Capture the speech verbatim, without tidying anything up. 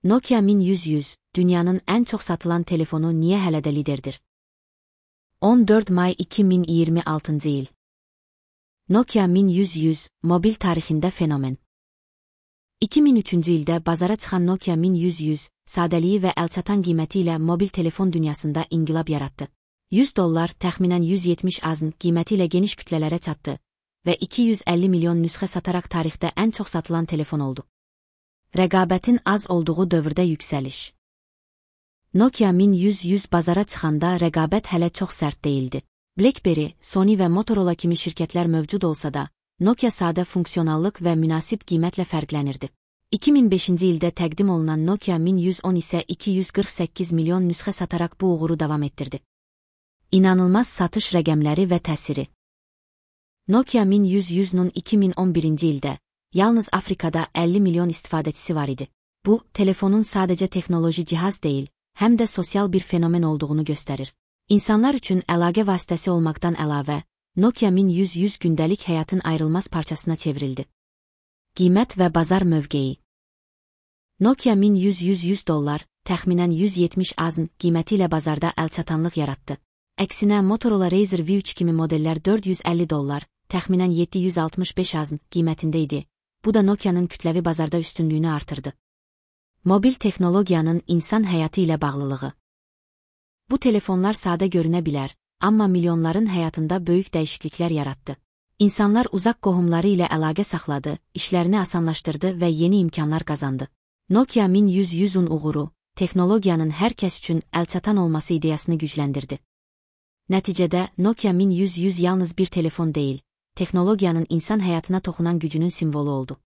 Nokia min yüz yüz, dünyanın en çok satılan telefonu niye hələ də liderdir? on dörd may iki min iyirmi altıncı il. Nokia min yüz yüz, mobil tarixində fenomen. iki min üçüncü ildə bazara çıxan Nokia min yüz yüz, sadəliyi və əlçatan qiyməti ilə mobil telefon dünyasında inqilab yaratdı. yüz dollar, təxminən yüz yetmiş azın qiyməti ilə geniş kütlələrə çatdı və iki yüz əlli milyon nüsxə sataraq tarixdə ən çox satılan telefon oldu. Rəqabətin az olduğu dövrdə yüksəliş. Nokia min yüz yüz bazara çıxanda rəqabət hələ çox sərt değildi. BlackBerry, Sony və Motorola kimi şirkətlər mövcud olsa da, Nokia sadə funksionallıq və münasib qiymətlə fərqlənirdi. iki min beşinci ildə təqdim olunan Nokia min yüz on isə iki yüz qırx səkkiz milyon nüsxə sataraq bu uğuru davam etdirdi. İnanılmaz satış rəqəmləri və təsiri. Nokia min yüz yüzün iki min on birinci ildə yalnız Afrikada əlli milyon istifadəçisi var idi. Bu, telefonun sadəcə texnoloji cihaz deyil, həm də sosial bir fenomen olduğunu göstərir. İnsanlar üçün əlaqə vasitəsi olmaqdan əlavə, Nokia min yüz yüz gündəlik həyatın ayrılmaz parçasına çevrildi. Qiymət və bazar mövqeyi. Nokia min yüz yüz yüz dollar, təxminən yüz yetmiş azın qiyməti ilə bazarda əlçatanlıq yaratdı. Əksinə Motorola Razr V üç kimi modellər dörd yüz əlli dollar, təxminən yeddi yüz altmış beş azın qiymətində idi. Bu da Nokia'nın kütləvi bazarda üstünlüyünü artırdı. Mobil texnologiyanın insan həyatı ilə bağlılığı. Bu telefonlar sadə görünə bilər, amma milyonların həyatında böyük dəyişikliklər yarattı. İnsanlar uzaq qohumları ilə əlaqə saxladı, işlərini asanlaşdırdı və yeni imkanlar qazandı. Nokia min yüz yüzün uğuru, texnologiyanın hər kəs üçün əlçatan olması ideyasını gücləndirdi. Nəticədə Nokia min yüz yüz yalnız bir telefon deyil, texnologiyanın insan həyatına toxunan gücünün simvolu oldu.